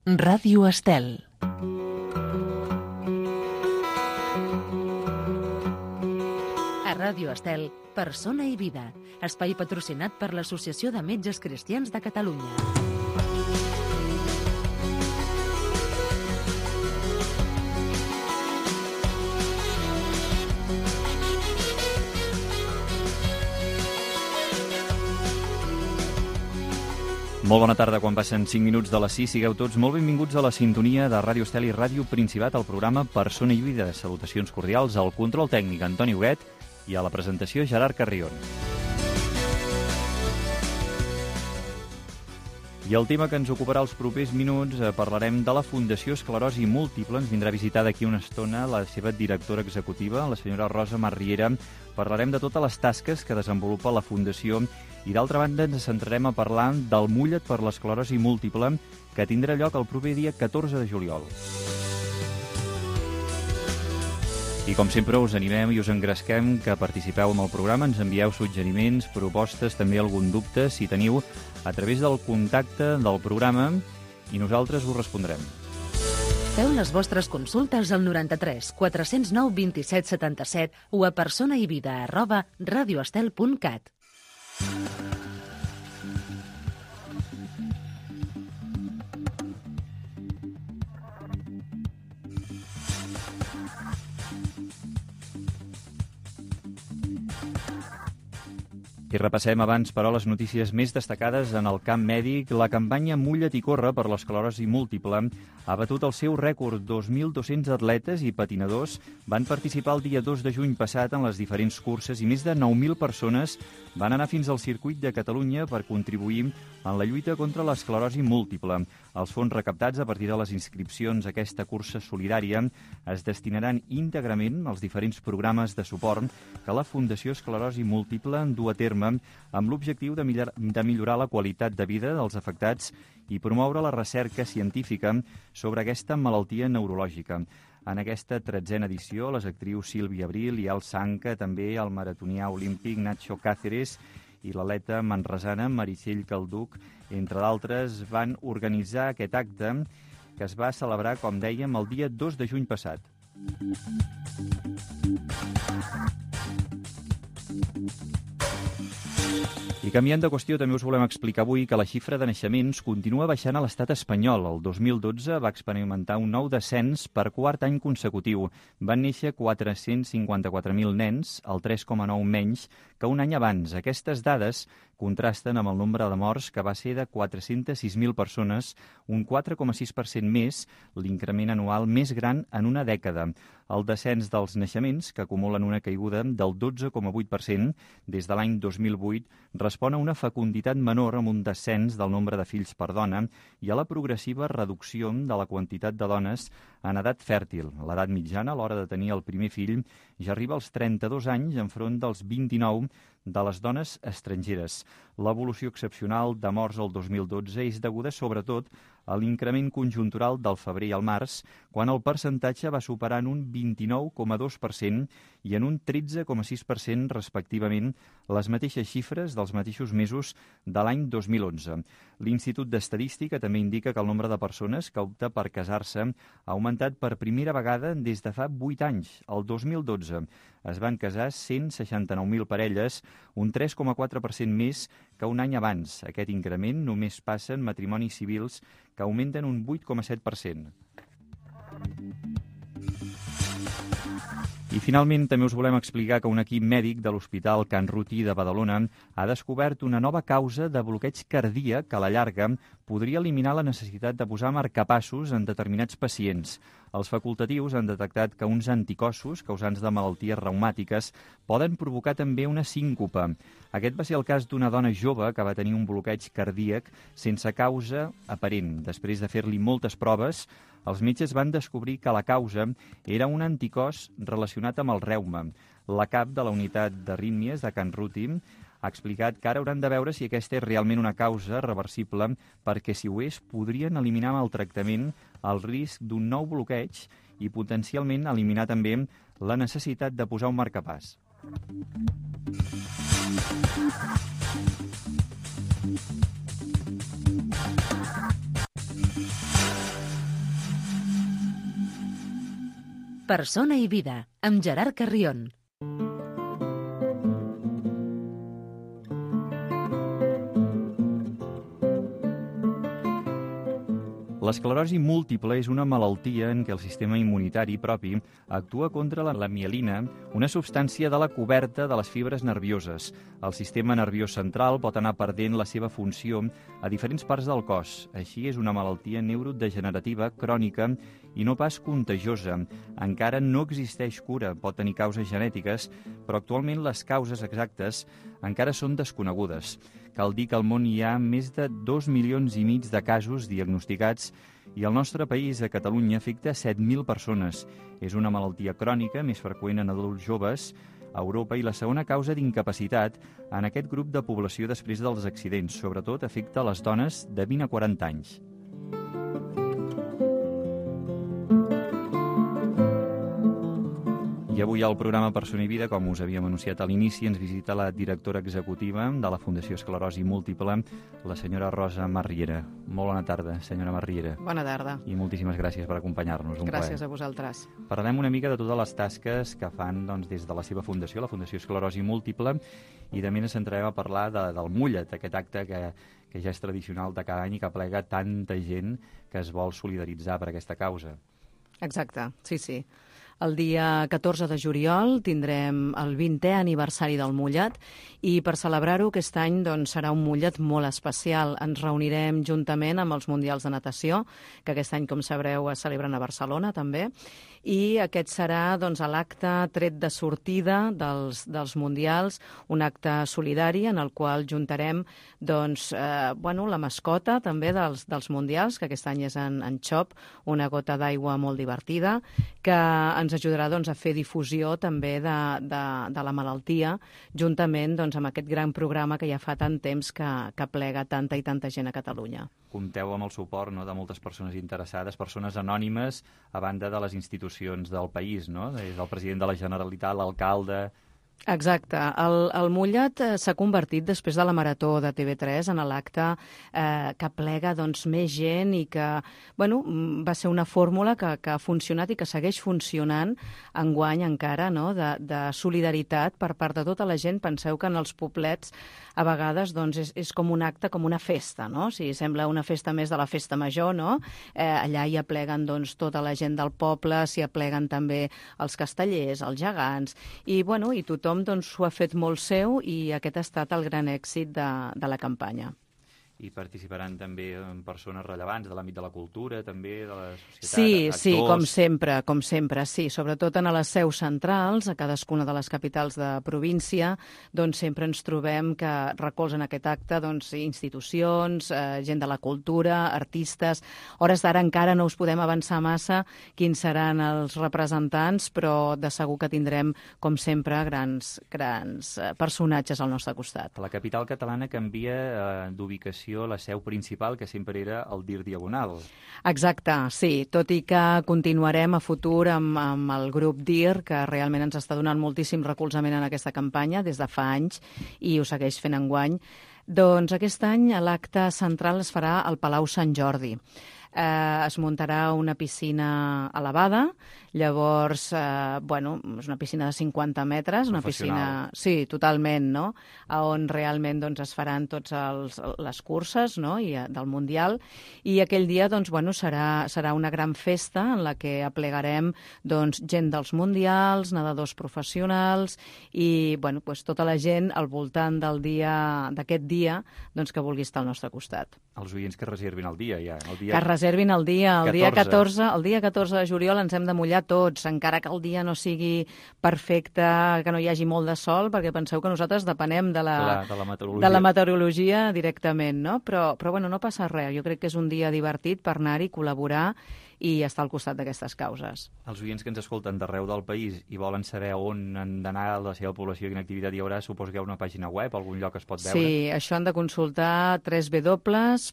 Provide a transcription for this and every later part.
Ràdio Estel. A Ràdio Estel, Persona i Vida, espai patrocinat per l'Associació de Metges Cristians de Catalunya. Molt bona tarda, quan passen 5 minuts de les 6. Sigueu tots molt benvinguts a la sintonia de Ràdio Estel i Ràdio Principat, al programa Persona i Vida. Salutacions cordials al control tècnic Antoni Huguet i a la presentació Gerard Carrion. I el tema que ens ocuparà els propers minuts, parlarem de la Fundació Esclerosi Múltiple. Ens vindrà a visitar d'aquí una estona la seva directora executiva, la senyora Rosa Marriera. Parlarem de totes les tasques que desenvolupa la Fundació i, d'altra banda, ens centrarem a parlar del Mulla't per l'esclerosi múltiple, que tindrà lloc el proper dia 14 de juliol. I, com sempre, us animem i us engresquem que participeu en el programa, ens envieu suggeriments, propostes, també algun dubte, si teniu, a través del contacte del programa, i nosaltres us respondrem. Feu les vostres consultes al 93 409 27 77 o a personaivida@radioestel.cat. I repassem abans, però, les notícies més destacades en el camp mèdic. La campanya Mulla't i corre per l'esclerosi múltiple ha batut el seu rècord. 2.200 atletes i patinadors van participar el dia 2 de juny passat en les diferents curses i més de 9.000 persones van anar fins al circuit de Catalunya per contribuir en la lluita contra l'esclerosi múltiple. Els fons recaptats a partir de les inscripcions a aquesta cursa solidària es destinaran íntegrament als diferents programes de suport que la Fundació Esclerosi Múltiple du a terme amb l'objectiu de millorar la qualitat de vida dels afectats i promoure la recerca científica sobre aquesta malaltia neurològica. En aquesta 13a edició, les actrius Sílvia Abril i Al Sanca, també el maratonià olímpic Nacho Cáceres i l'atleta manresana Meritxell Calduc, entre d'altres, van organitzar aquest acte que es va celebrar, com dèiem, el dia 2 de juny passat. I canviant de qüestió, també us volem explicar avui que la xifra de naixements continua baixant a l'estat espanyol. El 2012 va experimentar un nou descens per quart any consecutiu. Van néixer 454.000 nens, el 3,9 menys que un any abans. Aquestes dades contrasten amb el nombre de morts, que va ser de 406.000 persones, un 4,6% més, l'increment anual més gran en una dècada. El descens dels naixements, que acumulen una caiguda del 12,8% des de l'any 2008, respon a una fecunditat menor amb un descens del nombre de fills per dona i a la progressiva reducció de la quantitat de dones en edat fèrtil. L'edat mitjana a l'hora de tenir el primer fill ja arriba als 32 anys enfront dels 29 de les dones estrangeres. L'evolució excepcional de morts el 2012 és deguda sobretot a l'increment conjuntural del febrer i el març, quan el percentatge va superar en un 29,2% i en un 13,6% respectivament les mateixes xifres dels mateixos mesos de l'any 2011. L'Institut d'Estadística també indica que el nombre de persones que opta per casar-se ha augmentat per primera vegada des de fa 8 anys. El 2012 es van casar 169.000 parelles, un 3,4% més que un any abans. Aquest increment només passa en matrimonis civils, que augmenten un 8,7%. I finalment també us volem explicar que un equip mèdic de l'Hospital Can Ruti de Badalona ha descobert una nova causa de bloqueig cardíac que a la llarga podria eliminar la necessitat de posar marcapassos en determinats pacients. Els facultatius han detectat que uns anticossos causants de malalties reumàtiques poden provocar també una síncope. Aquest va ser el cas d'una dona jove que va tenir un bloqueig cardíac sense causa aparent. Després de fer-li moltes proves, els metges van descobrir que la causa era un anticòs relacionat amb el reuma. La cap de la unitat d'arrítmies de Can Ruti ha explicat que ara hauran de veure si aquesta és realment una causa reversible, perquè si ho és, podrien eliminar amb el tractament el risc d'un nou bloqueig i potencialment eliminar també la necessitat de posar un marcapàs. Persona i vida, amb Gerard Carrión. L'esclerosi múltiple és una malaltia en què el sistema immunitari propi actua contra la mielina, una substància de la coberta de les fibres nervioses. El sistema nerviós central pot anar perdent la seva funció a diferents parts del cos. Així és una malaltia neurodegenerativa crònica i no pas contagiosa. Encara no existeix cura, pot tenir causes genètiques, però actualment les causes exactes encara són desconegudes. Cal dir que al món hi ha més de 2,5 milions de casos diagnosticats i el nostre país, a Catalunya, afecta 7.000 persones. És una malaltia crònica, més freqüent en adults joves, a Europa, i la segona causa d'incapacitat en aquest grup de població després dels accidents. Sobretot afecta les dones de 20 a 40 anys. I avui al programa Persona i Vida, com us havíem anunciat a l'inici, ens visita la directora executiva de la Fundació Esclerosi Múltiple, la senyora Rosa Marriera. Molt bona tarda, senyora Marriera. Bona tarda. I moltíssimes gràcies per acompanyar-nos. Gràcies a vosaltres. Parlem una mica de totes les tasques que fan des de la seva fundació, la Fundació Esclerosi Múltiple, i també ens centrarem a parlar del Mullet, aquest acte que ja és tradicional de cada any i que aplega tanta gent que es vol solidaritzar per aquesta causa. Exacte, sí. El dia 14 de juliol tindrem el 20è aniversari del Mullet i per celebrar-ho aquest any serà un Mullet molt especial. Ens reunirem juntament amb els Mundials de Natació, que aquest any, com sabreu, es celebren a Barcelona també, i aquest serà l'acte tret de sortida dels Mundials, un acte solidari en el qual juntarem la mascota també dels Mundials, que aquest any és en Xop, una gota d'aigua molt divertida, que ens ajudarà a fer difusió també de la malaltia, juntament amb aquest gran programa que ja fa tant temps que plega tanta i tanta gent a Catalunya. Compteu amb el suport de moltes persones interessades, persones anònimes, a banda de les institucions del país, no? Des del president de la Generalitat, l'alcalde... Exacte. El Mullet s'ha convertit, després de la Marató de TV3, en l'acte que plega més gent i que va ser una fórmula que ha funcionat i que segueix funcionant enguany encara, de solidaritat per part de tota la gent. Penseu que en els poblets a vegades és com un acte, com una festa, no? O sigui, sembla una festa més de la festa major, no? Allà hi apleguen tota la gent del poble, s'hi apleguen també els castellers, els gegants, i tothom s'ho ha fet molt seu i aquest ha estat el gran èxit de la campanya. I participaran també persones rellevants de l'àmbit de la cultura, també de la societat, actors... Sí, com sempre, sí. Sobretot en les seus centrals, a cadascuna de les capitals de província, sempre ens trobem que recolzen aquest acte institucions, gent de la cultura, artistes... Hores d'ara encara no us podem avançar massa quins seran els representants, però de segur que tindrem, com sempre, grans personatges al nostre costat. La capital catalana canvia d'ubicació, la seu principal, que sempre era el DIR Diagonal. Exacte, sí. Tot i que continuarem a futur amb el grup DIR, que realment ens està donant moltíssim recolzament en aquesta campanya des de fa anys i ho segueix fent enguany, doncs aquest any l'acte central es farà al Palau Sant Jordi. Es muntarà una piscina elevada, llavors, és una piscina de 50 metres, una piscina... Sí, totalment, no? On realment es faran totes les curses, no? Del Mundial, i aquell dia serà una gran festa en la que aplegarem gent dels Mundials, nedadors professionals i tota la gent al voltant d'aquest dia que vulgui estar al nostre costat. Els oients que reservin el dia, ja. Que reservin el dia. El dia 14 de juliol ens hem de mullar tots, encara que el dia no sigui perfecte, que no hi hagi molt de sol, perquè penseu que nosaltres depenem de la meteorologia directament, no? Però no passa res. Jo crec que és un dia divertit per anar-hi, col·laborar i estar al costat d'aquestes causes. Els oients que ens escolten d'arreu del país i volen saber on han d'anar, la seva població i quina activitat hi haurà, suposo que hi ha una pàgina web, algun lloc es pot veure? Sí, això han de consultar www.fem.es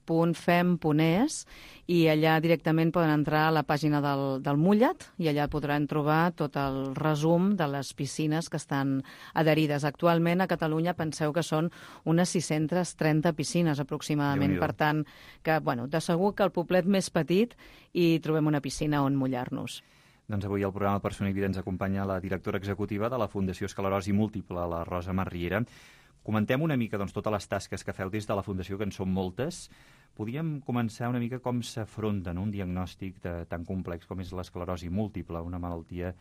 i allà directament poden entrar a la pàgina del Mullet i allà podran trobar tot el resum de les piscines que estan adherides. Actualment a Catalunya penseu que són unes 630 piscines aproximadament, per tant, que de segur que el poblet més petit hi trobem una piscina on mullar-nos. Doncs avui al programa Persona i Vida ens acompanya la directora executiva de la Fundació Esclerosi Múltiple, la Rosa Marriera. Comentem una mica totes les tasques que feu des de la Fundació, que en són moltes. Podríem començar una mica com s'afronta un diagnòstic tan complex com és l'esclerosi múltiple, una malaltia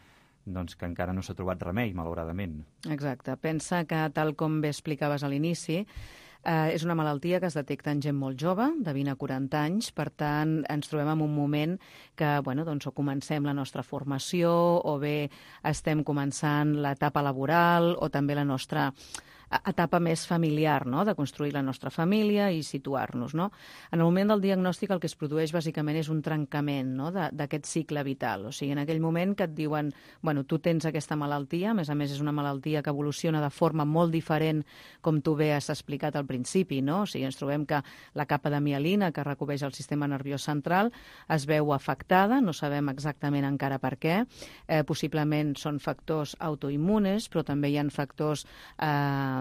que encara no s'ha trobat remei, malauradament. Exacte. Pensa que, tal com bé explicaves a l'inici, és una malaltia que es detecta en gent molt jove, de 20 a 40 anys, per tant, ens trobem en un moment que, o comencem la nostra formació, o bé estem començant l'etapa laboral, o també la nostra etapa més familiar, no?, de construir la nostra família i situar-nos, no? En el moment del diagnòstic el que es produeix bàsicament és un trencament, no?, d'aquest cicle vital. O sigui, en aquell moment que et diuen, tu tens aquesta malaltia, a més és una malaltia que evoluciona de forma molt diferent, com tu bé has explicat al principi, no? O sigui, ens trobem que la capa de mielina que recobreix el sistema nerviós central es veu afectada, no sabem exactament encara per què, possiblement són factors autoimmunes, però també hi ha factors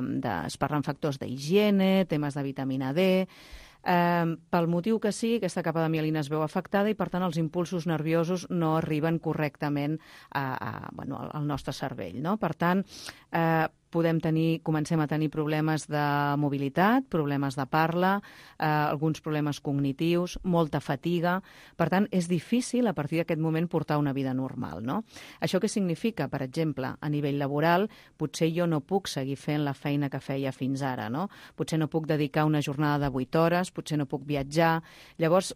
es parlen factors d'higiene, temes de vitamina D. Pel motiu que sigui, aquesta capa de mielina es veu afectada i, per tant, els impulsos nerviosos no arriben correctament al nostre cervell, no? Per tant, comencem a tenir problemes de mobilitat, problemes de parla, alguns problemes cognitius, molta fatiga. Per tant, és difícil a partir d'aquest moment portar una vida normal, no? Això què significa? Per exemple, a nivell laboral, potser jo no puc seguir fent la feina que feia fins ara, no? Potser no puc dedicar una jornada de 8 hores, potser no puc viatjar. Llavors,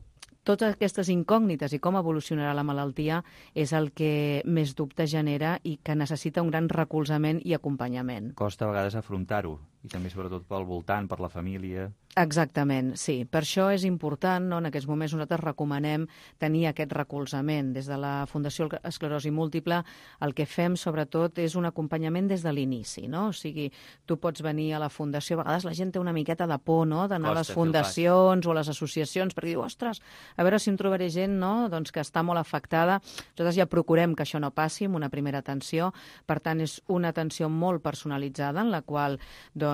totes aquestes incògnites i com evolucionarà la malaltia és el que més dubte genera i que necessita un gran recolzament i acompanyament. Costa a vegades afrontar-ho, i també sobretot pel voltant, per la família. Exactament, sí. Per això és important, no? En aquests moments nosaltres recomanem tenir aquest recolzament. Des de la Fundació Esclerosi Múltiple el que fem sobretot és un acompanyament des de l'inici, no? O sigui, tu pots venir a la Fundació, a vegades la gent té una miqueta de por, no?, d'anar a les fundacions o a les associacions perquè diu, ostres, a veure si em trobaré gent, no?, que està molt afectada. Nosaltres ja procurem que això no passi amb una primera atenció, per tant és una atenció molt personalitzada en la qual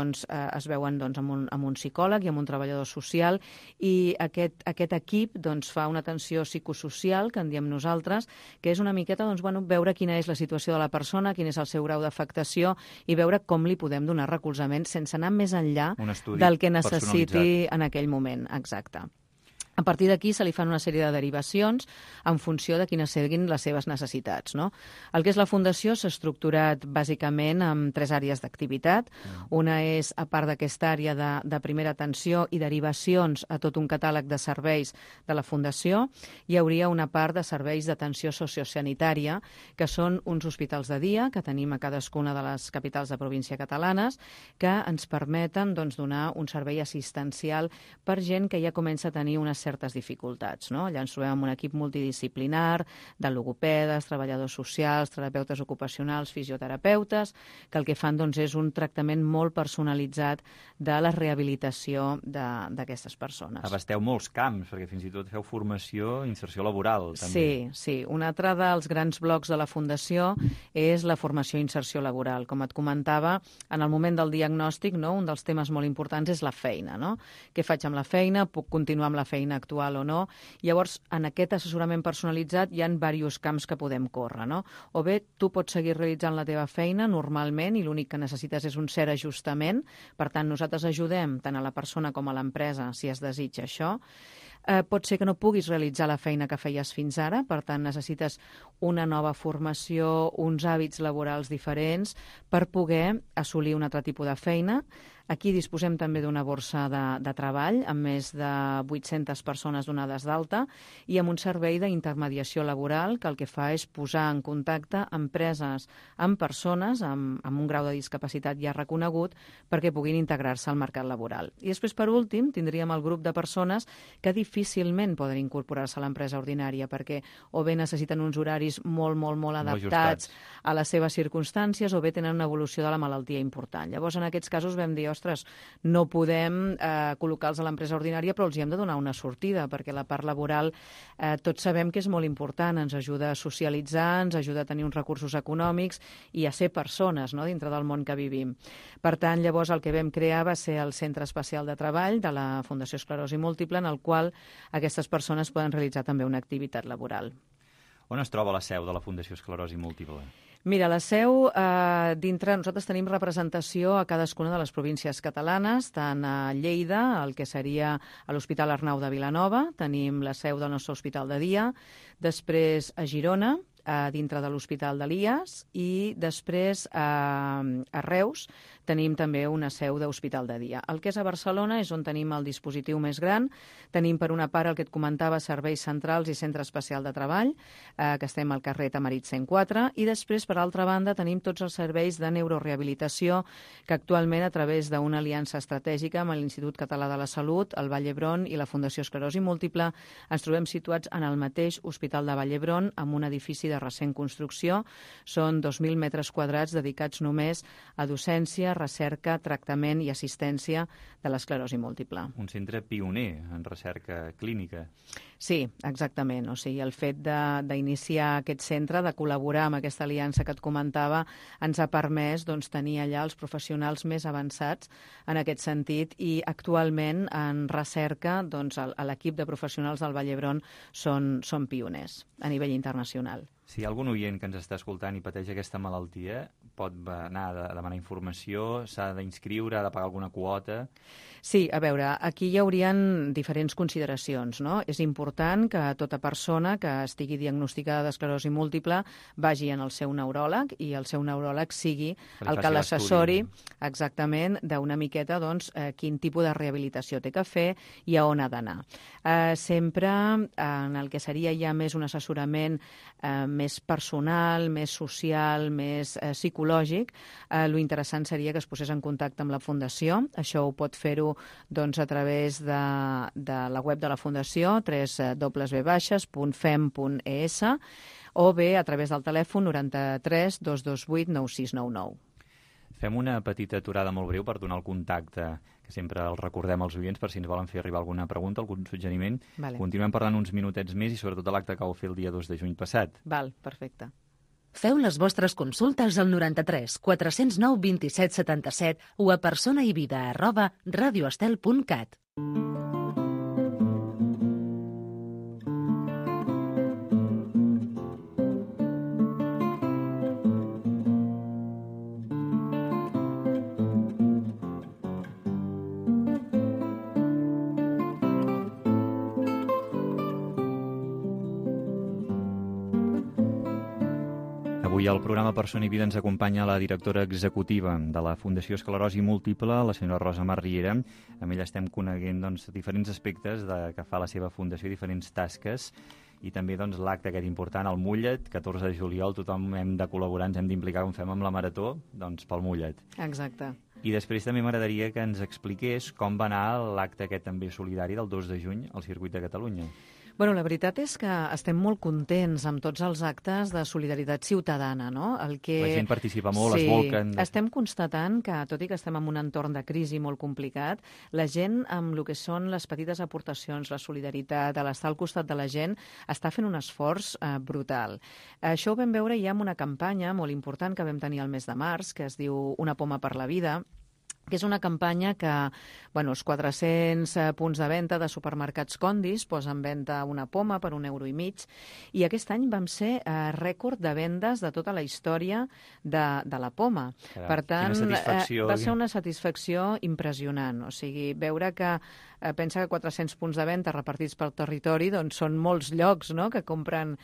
es veuen amb un psicòleg i amb un treballador social, i aquest equip fa una atenció psicosocial, que en diem nosaltres, que és una miqueta veure quina és la situació de la persona, quin és el seu grau d'afectació i veure com li podem donar recolzament sense anar més enllà del que necessiti en aquell moment. Exacte. A partir d'aquí se li fan una sèrie de derivacions en funció de quines siguin les seves necessitats, no? El que és la Fundació s'ha estructurat bàsicament en 3 àrees d'activitat. Una és, a part d'aquesta àrea de primera atenció i derivacions a tot un catàleg de serveis de la Fundació, hi hauria una part de serveis d'atenció sociosanitària, que són uns hospitals de dia que tenim a cadascuna de les capitals de província catalanes, que ens permeten donar un servei assistencial per gent que ja comença a tenir unes certes dificultats, no? Allà ens trobem amb un equip multidisciplinar de logopedes, treballadors socials, terapeutes ocupacionals, fisioterapeutes, que el que fan és un tractament molt personalitzat de la rehabilitació d'aquestes persones. Abasteu molts camps, perquè fins i tot feu formació i inserció laboral, també. Sí. Un altre dels grans blocs de la Fundació és la formació i inserció laboral. Com et comentava, en el moment del diagnòstic, no, un dels temes molt importants és la feina, no? Què faig amb la feina? Puc continuar amb la feina actual o no? Llavors, en aquest assessorament personalitzat hi ha diversos camps que podem córrer, no? O bé, tu pots seguir realitzant la teva feina normalment i l'únic que necessites és un cert ajustament. Per tant, nosaltres ajudem tant a la persona com a l'empresa si es desitja això. Pot ser que no puguis realitzar la feina que feies fins ara, per tant necessites una nova formació, uns hàbits laborals diferents per poder assolir un altre tipus de feina. Aquí disposem també d'una borsa de treball amb més de 800 persones donades d'alta i amb un servei d'intermediació laboral que el que fa és posar en contacte empreses amb persones amb un grau de discapacitat ja reconegut perquè puguin integrar-se al mercat laboral. I després, per últim, tindríem el grup de persones que difícilment poden incorporar-se a l'empresa ordinària perquè o bé necessiten uns horaris molt adaptats a les seves circumstàncies o bé tenen una evolució de la malaltia important. Llavors, en aquests casos vam dir, ostres, no podem col·locar-los a l'empresa ordinària, però els hi hem de donar una sortida, perquè la part laboral tots sabem que és molt important, ens ajuda a socialitzar, ens ajuda a tenir uns recursos econòmics i a ser persones, no?, dintre del món que vivim. Per tant, llavors el que vam crear va ser el Centre Especial de Treball de la Fundació Esclerosi Múltiple, en el qual aquestes persones poden realitzar també una activitat laboral. On es troba la seu de la Fundació Esclerosi Múltiple? Mira, la seu, dintre, nosaltres tenim representació a cadascuna de les províncies catalanes, tant a Lleida, el que seria a l'Hospital Arnau de Vilanova, tenim la seu del nostre hospital de dia, després a Girona, dintre de l'Hospital d'Elies, i després a Reus tenim també una seu d'hospital de dia. El que és a Barcelona és on tenim el dispositiu més gran. Tenim, per una part, el que et comentava, serveis centrals i centre especial de treball, que estem al carrer Tamarit 104, i després, per altra banda, tenim tots els serveis de neurorehabilitació que actualment, a través d'una aliança estratègica amb l'Institut Català de la Salut, el Vall d'Hebron i la Fundació Esclerosi Múltiple, ens trobem situats en el mateix Hospital de Vall d'Hebron, amb un edifici de recent construcció. Són 2.000 metres quadrats dedicats només a docència, recerca, tractament i assistència de l'esclerosi múltiple. Un centre pioner en recerca clínica. Sí, exactament. O sigui, el fet d'iniciar aquest centre, de col·laborar amb aquesta aliança que et comentava, ens ha permès tenir allà els professionals més avançats en aquest sentit, i actualment en recerca l'equip de professionals del Vall d'Hebron són pioners a nivell internacional. Si hi ha algun oient que ens està escoltant i pateix aquesta malaltia, pot anar a demanar informació, s'ha d'inscriure, ha de pagar alguna quota? Sí, a veure, aquí hi haurien diferents consideracions, no? És important que tota persona que estigui diagnosticada d'esclerosi múltiple vagi en el seu neuròleg, i el seu neuròleg sigui el que l'assessori exactament d'una miqueta quin tipus de rehabilitació té que fer i a on ha d'anar. Sempre en el que seria ja més un assessorament més personal, més social, més psicològic, lo interessant seria que es posés en contacte amb la Fundació. Això ho pot fer-ho a través de la web de la Fundació, www.fem.es, o bé a través del telèfon 93 228 9699. Fem una petita aturada molt breu per donar el contacte, que sempre el recordem als oients per si ens volen fer arribar alguna pregunta, algun suggeriment. Vale. Continuem parlant uns minutets més i sobretot de l'acte que vau fer el dia 2 de juny passat. Val, perfecte. Feu les vostres consultes al 93 409 27 77 o a personaivida@radioestel.cat. Avui al programa Persona i Vida ens acompanya la directora executiva de la Fundació Esclerosi Múltiple, la senyora Rosa Mar Riera. Amb ella estem coneguent diferents aspectes que fa la seva fundació, diferents tasques, i també l'acte aquest important, el Mullet, 14 de juliol, tothom hem de col·laborar, ens hem d'implicar, com fem amb la Marató, pel Mullet. Exacte. I després també m'agradaria que ens expliqués com va anar l'acte aquest també solidari del 2 de juny al Circuit de Catalunya. Bueno, la veritat és que estem molt contents amb tots els actes de solidaritat ciutadana, no? La gent participa molt, es volquen... Estem constatant que, tot i que estem en un entorn de crisi molt complicat, la gent, amb el que són les petites aportacions, la solidaritat, l'estar al costat de la gent, està fent un esforç brutal. Això ho vam veure ja en una campanya molt important que vam tenir el mes de març, que es diu Una poma per la vida, que és una campanya que els 400 punts de venda de supermercats Condis posen en venda una poma per €1,50, i aquest any vam ser rècord de vendes de tota la història de la poma. Per tant, va ser una satisfacció impressionant. O sigui, veure que pensa que 400 punts de venda repartits pel territori són molts llocs, no?, que compren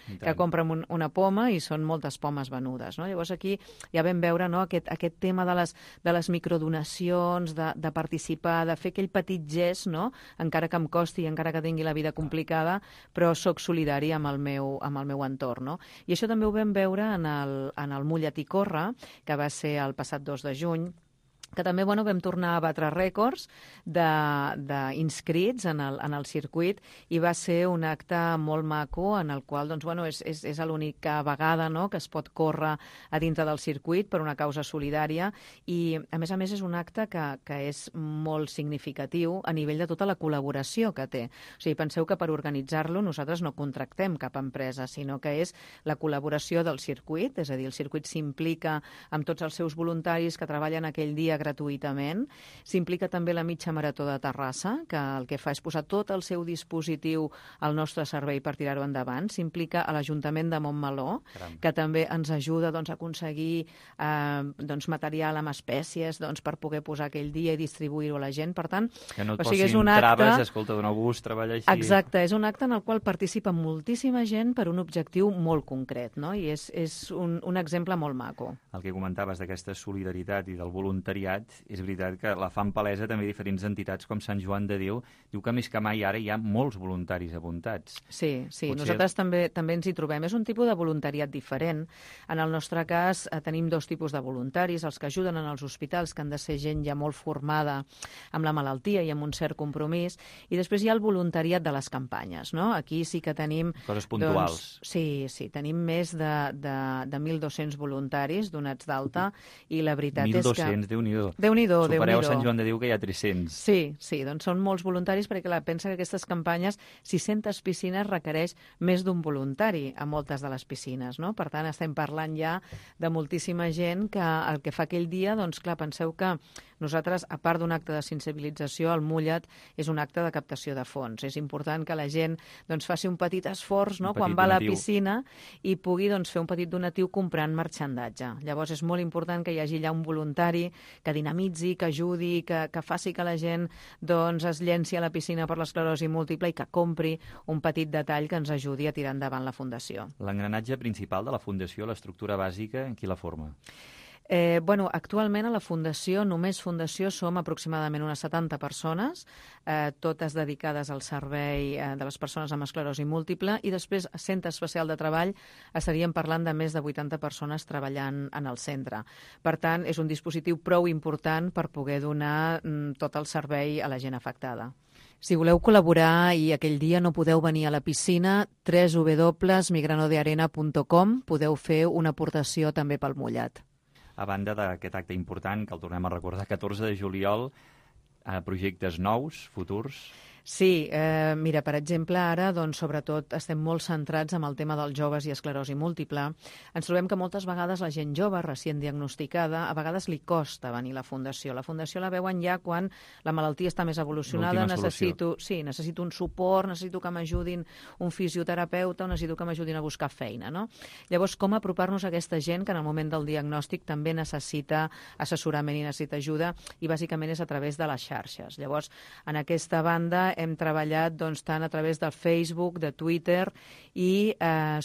una poma, i són moltes pomes venudes, no? Llavors aquí ja vam veure, no, aquest tema de les microdonacions, de participar, de fer aquell petit gest, no?, encara que em costi i encara que tingui la vida complicada, però sóc solidari amb el meu entorn, no? I això també ho vam veure en el Mullet i Corre, que va ser el passat 2 de juny, que també vam tornar a batre rècords d'inscrits en el circuit, i va ser un acte molt maco en el qual és l'única vegada, no?, que es pot córrer a dintre del circuit per una causa solidària, i a més és un acte que és molt significatiu a nivell de tota la col·laboració que té. O sigui, penseu que per organitzar-lo nosaltres no contractem cap empresa, sinó que és la col·laboració del circuit, és a dir, el circuit s'implica amb tots els seus voluntaris que treballen aquell dia gratuïtament. S'implica també la mitja marató de Terrassa, que el que fa és posar tot el seu dispositiu al nostre servei per tirar-ho endavant. S'implica a l'Ajuntament de Montmeló, que també ens ajuda a aconseguir material amb espècies per poder posar aquell dia i distribuir-ho a la gent. Per tant, que no et posin traves, escolta, d'un bus, treballa així... Exacte, és un acte en el qual participa moltíssima gent per un objectiu molt concret, no? I és un exemple molt maco. El que comentaves d'aquesta solidaritat i del voluntariat, és veritat que la fan palesa també diferents entitats com Sant Joan de Déu. Diu que més que mai ara hi ha molts voluntaris apuntats. Sí, nosaltres també ens hi trobem. És un tipus de voluntariat diferent. En el nostre cas tenim dos tipus de voluntaris, els que ajuden en els hospitals, que han de ser gent ja molt formada amb la malaltia i amb un cert compromís, i després hi ha el voluntariat de les campanyes, no? Aquí sí que tenim... Coses puntuals. Sí, tenim més de 1.200 voluntaris donats d'alta, i la veritat és que... 1.200, Déu-n'hi-do. Déu-n'hi-do. Supereu Sant Joan de Déu, que hi ha 300. Sí, doncs són molts voluntaris, perquè pensa que aquestes campanyes, 600 piscines, requereix més d'un voluntari a moltes de les piscines, no? Per tant, estem parlant ja de moltíssima gent que el que fa aquell dia, doncs clar, penseu que nosaltres, a part d'un acte de sensibilització, el Mullet és un acte de captació de fons. És important que la gent faci un petit esforç, no?, quan va a la piscina, i pugui fer un petit donatiu comprant marxandatge. Llavors és molt important que hi hagi allà un voluntari que dinamitzi, que ajudi, que faci que la gent es llenci a la piscina per l'esclerosi múltiple i que compri un petit detall que ens ajudi a tirar endavant la Fundació. L'engranatge principal de la Fundació, l'estructura bàsica, qui la forma? Actualment a la Fundació, només Fundació, som aproximadament unes 70 persones, totes dedicades al servei de les persones amb esclerosi múltiple, i després, a Centre Especial de Treball, estaríem parlant de més de 80 persones treballant en el centre. Per tant, és un dispositiu prou important per poder donar tot el servei a la gent afectada. Si voleu col·laborar i aquell dia no podeu venir a la piscina, www.migranodearena.com, podeu fer una aportació també pel Mullet. A banda d'aquest acte important, que el tornem a recordar, 14 de juliol, projectes nous, futurs... Sí, mira, per exemple, ara, sobretot, estem molt centrats en el tema dels joves i esclerosi múltiple. Ens trobem que moltes vegades la gent jove, recient diagnosticada, a vegades li costa venir a la Fundació. La Fundació la veuen ja quan la malaltia està més evolucionada, necessito un suport, necessito que m'ajudin un fisioterapeuta o necessito que m'ajudin a buscar feina, no? Llavors, com apropar-nos a aquesta gent que en el moment del diagnòstic també necessita assessorament i necessita ajuda, i bàsicament és a través de les xarxes. Llavors, en aquesta banda hem treballat tant a través del Facebook, de Twitter i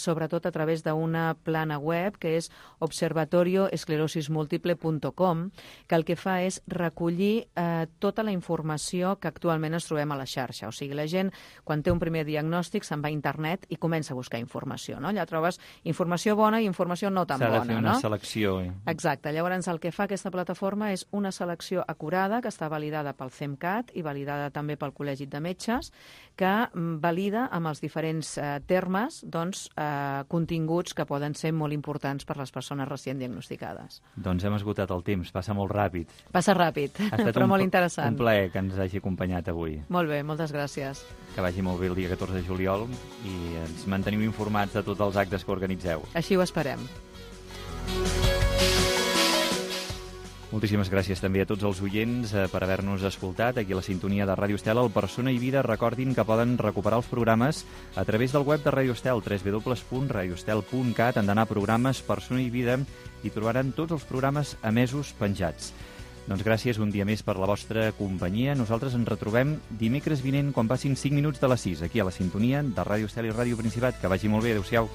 sobretot a través d'una plana web que és observatorioesclerosismúltiple.com, que el que fa és recollir tota la informació que actualment ens trobem a la xarxa. O sigui, la gent, quan té un primer diagnòstic, se'n va a internet i comença a buscar informació, no? Allà trobes informació bona i informació no tan bona, no? S'ha de fer una selecció. Exacte. Llavors, el que fa aquesta plataforma és una selecció acurada que està validada pel CEMCAT i validada també pel Col·legi de Metges, que valida amb els diferents termes continguts que poden ser molt importants per les persones recient diagnosticades. Doncs hem esgotat el temps, passa molt ràpid. Passa ràpid, però molt interessant. Un plaer que ens hagi acompanyat avui. Molt bé, moltes gràcies. Que vagi molt bé el dia 14 de juliol i ens manteniu informats de tots els actes que organitzeu. Així ho esperem. Moltíssimes gràcies també a tots els oients per haver-nos escoltat aquí a la sintonia de Ràdio Estel. Al Persona i Vida, recordin que poden recuperar els programes a través del web de Ràdio Estel, www.radioestel.cat. Han d'anar a programes Persona i Vida i trobaran tots els programes emesos penjats. Doncs gràcies un dia més per la vostra companyia. Nosaltres ens retrobem dimecres vinent quan passin 5 minuts de les 6, aquí a la sintonia de Ràdio Estel i Ràdio Principat. Que vagi molt bé. Adéu-siau.